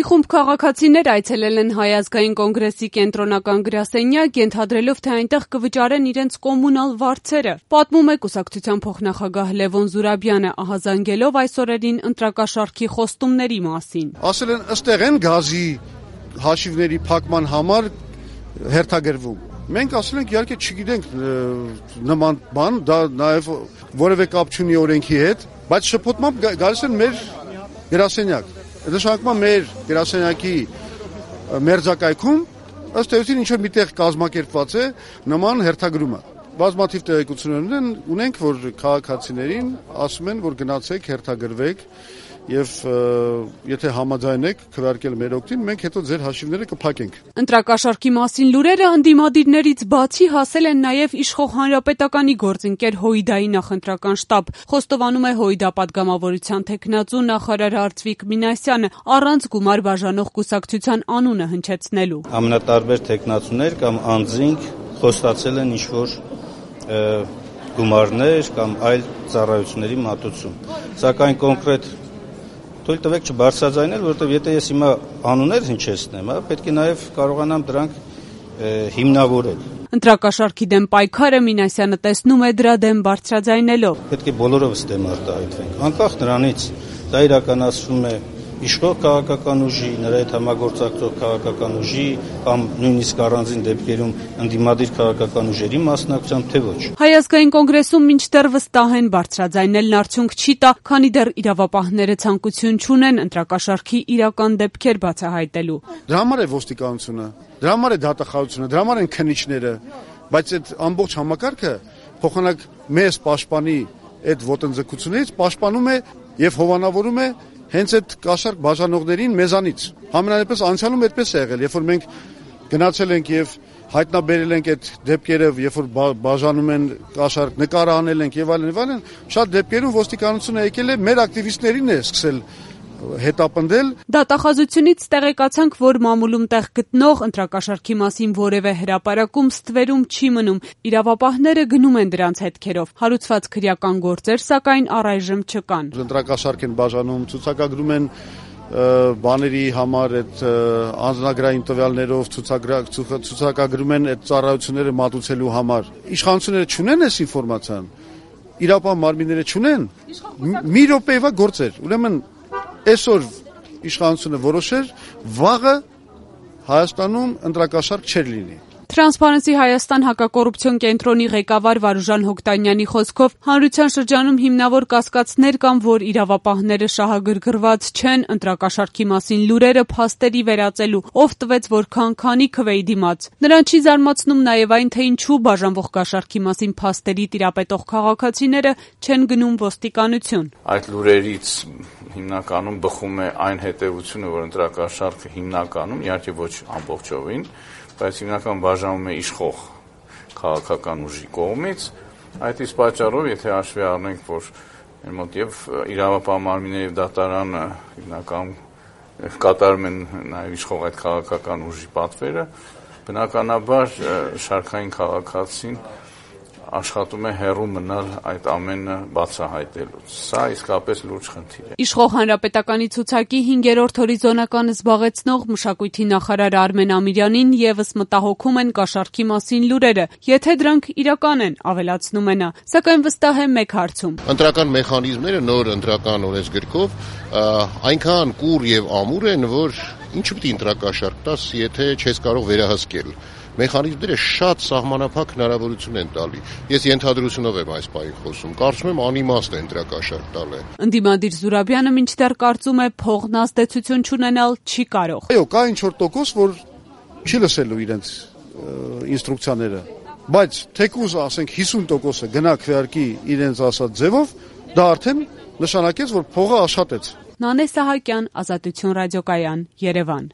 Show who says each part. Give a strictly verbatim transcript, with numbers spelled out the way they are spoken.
Speaker 1: Մի խումբ քաղաքացիներ այցելել են Հայ ազգային կոնգրեսի կենտրոնական գրասենյակ, ենթադրելով, թե այնտեղ կվճարեն իրենց կոմունալ վարձերը։ Պատմում է կուսակցության փոխնախագահ Լևոն Զուրաբյանը, ահազանգելով այս օրերին ընտրակաշառքի խոստումների մասին։
Speaker 2: Ասել են ըստեղ են գազի հաշիվների փակման համար հերթագրվում։ Մենք ասել ենք իհարկե չգիտենք նման բան, դա նաև որևէ կապ չունի օրենքի հետ, բայց շփոթմամբ գալիս են մեր գրասենյակ։ Նշանակում է մեր գրասենյակի մերձակայքում ըստ էության ինչ-որ միտեղ կազմակերպված է նման հերթագրումը։ Բազմաթիվ տեղեկություններ ունենք, որ քաղաքացիներին ասում են, որ գնացեք հերթագրվեք եւ եթե համաձայն եք քվեարկել մեր օգտին, մենք հետո ձեր հաշիվները կփակենք։
Speaker 1: Ընտրակաշառքի մասին լուրերը ընդդիմադիրներից բացի հասել են նաեւ իշխող հանրապետականի գործընկեր Հոյդայի նախընտրական շտաբ։ Խոստովանում է Հոյդա պատգամավորության թեկնածու նախարար Արծվիկ Մինասյանը, առանց գումար բաժանող կուսակցության անունը հնչեցնելու։
Speaker 3: Ամենատարբեր թեկնածուներ կամ անձինք խոստացել են ինչ-որ գումարներ կամ այլ ծառայությունների մատուցում։ Սակայն կոնկրետ թույլ տվեք չբարձրաձայնել, որովհետև եթե ես հիմա անուններ հնչեցնեմ, պետք է նաև կարողանամ դրանք հիմնավորել։
Speaker 1: Ընտրակաշառքի դեմ պայքարը Մինասյանը տեսնում է դրա դեմ բարձրաձայնելով։
Speaker 3: Պետք է բոլորովս դեմ արտահայտվենք, անկախ նրանից դա իրականացվում է իշխող քաղաքական ուժի, նրա հետ համագործակցող քաղաքական ուժի կամ նույնիսկ առանձին դեպքերում ընդդիմադիր քաղաքական ուժերի մասնակցությամբ, թե ոչ։
Speaker 1: Հայ ազգային կոնգրեսում մինչդեռ վստահ են բարձրաձայնելն արդյունք չի տա, քանի դեռ իրավապահները ցանկություն չունեն ընտրակաշառքի իրական դեպքեր բացահայտելու։
Speaker 2: Դրա համար է ոստիկանությունը, դրա համար է դատախազությունը, դրա համար են քննիչները, բայց այդ ամբողջ համակարգը փոխանակ մեզ պաշտպանի այդ ոտնձգությունից պաշտպանում է եւ հովանավորում է հենց այդ կաշառք բաժանողներին մեզանից։ Համենայնպես անցյալում այդպես է եղել, երբ որ մենք գնացել ենք եւ հայտնաբերել ենք այդ դեպքերը, երբ որ բաժանում են կաշառք, նկար անել ենք եւ այլն եւ այլն, շատ դեպքերում ոստիկանությունը եկել է մեր ակտիվիստներին է սկսել հետապնդել։
Speaker 1: Դատախազությունից տեղեկացանք, որ մամուլում տեղ գտնող ընտրակաշառքի մասին որևէ հրապարակում ստվերում չի մնում։ Իրավապահները գնում են դրանց հետքերով։ Հարուցված քրեական գործեր, սակայն առայժմ չկան։
Speaker 2: Ընտրակաշառք են բաժանում, ցուցակագրում են բաների համար այդ անձնագրային տվյալներով ցուցակագրում են այդ ծառայությունները մատուցելու համար։ Իշխանությունները չունեն այս ինֆորմացիան, իրապահ մարմինները չունեն։ Մի րոպեվա գործեր։ Ուրեմն այսօր իշխանությունը որոշեր, վաղը Հայաստանում ընտրակաշառք չեր լինի։
Speaker 1: Transparency Հայաստան հակակոռուպցիոն կենտրոնի ղեկավար Վարուժան Հոկտանյանի խոսքով հանրության շրջանում հիմնավոր կասկածներ կան, որ իրավապահները շահագրգռված չեն ընտրակաշառքի մասին լուրերը փաստերի վերածելու, ով տվեց որքան քանի քվեի դիմաց։ Նրան չի զարմացնում նաև այն, թե ինչու բաժանվող կաշառքի մասին փաստերի տիրապետող քաղաքացիները չեն գնում ոստիկանություն։
Speaker 4: Այդ լուրերից հիմնականում բխում է այն հետևությունը, որ ընտրակաշառքը հիմնականում, իհարկե ոչ ամբողջովին, բայց հիմնական բաժանում է իշխող քաղաքական ուժի կողմից, այդ իսկ պատճառով, եթե հաշվի առնենք, որ մեր մոտ եւ իրավապահ մարմինները եւ դատարանը հիմնական կատարում են նաեւ իշխող այդ քաղաքական ուժի պատվերը, բնականաբար շարքային քաղաքացին աշխատում է հեռու մնալ այդ ամենը բացահայտելուց։ Սա իսկապես լուրջ խնդիր է։
Speaker 1: Իշխող հանրապետականի ցուցակի հինգերորդ հորիզոնականը զբաղեցնող մշակույթի նախարար Արմեն Ամիրյանին եւս մտահոգում են կաշառքի մասին լուրերը, եթե դրանք իրական են, ավելացնում է նա, սակայն վստահ է մեկ հարցում։
Speaker 5: Ընտրական մեխանիզմները նոր ընտրական օրենսգրքով այնքան կուռ եւ ամուր են, որ ինչ պիտի ընտրակաշառք տաս, եթե չես կարող վերահսկել։ Մեխանիզմները շատ սահմանափակ հնարավորություն են տալի։ Ես ենթադրությունով եմ այս բանի խոսում։ Կարծում եմ անիմաստ է ընտրակաշառք տալը։
Speaker 1: Ընդդիմադիր Զուրաբյանը մինչդեռ կարծում է փողն ազդեցություն չունենալ չի կարող։
Speaker 2: Այո, կա ինչ որ տոկոս, որ չի լսելու իրենց ինստրուկցիաները, բայց թեկուզ ասենք հիսուն տոկոսը գնա քվեարկի իրենց ասած ձևով, դա արդեն նշանակեց, որ փողը աշխատեց։
Speaker 1: Նանե Սահակյան, Ազատություն ռադիոկայան, Երևան։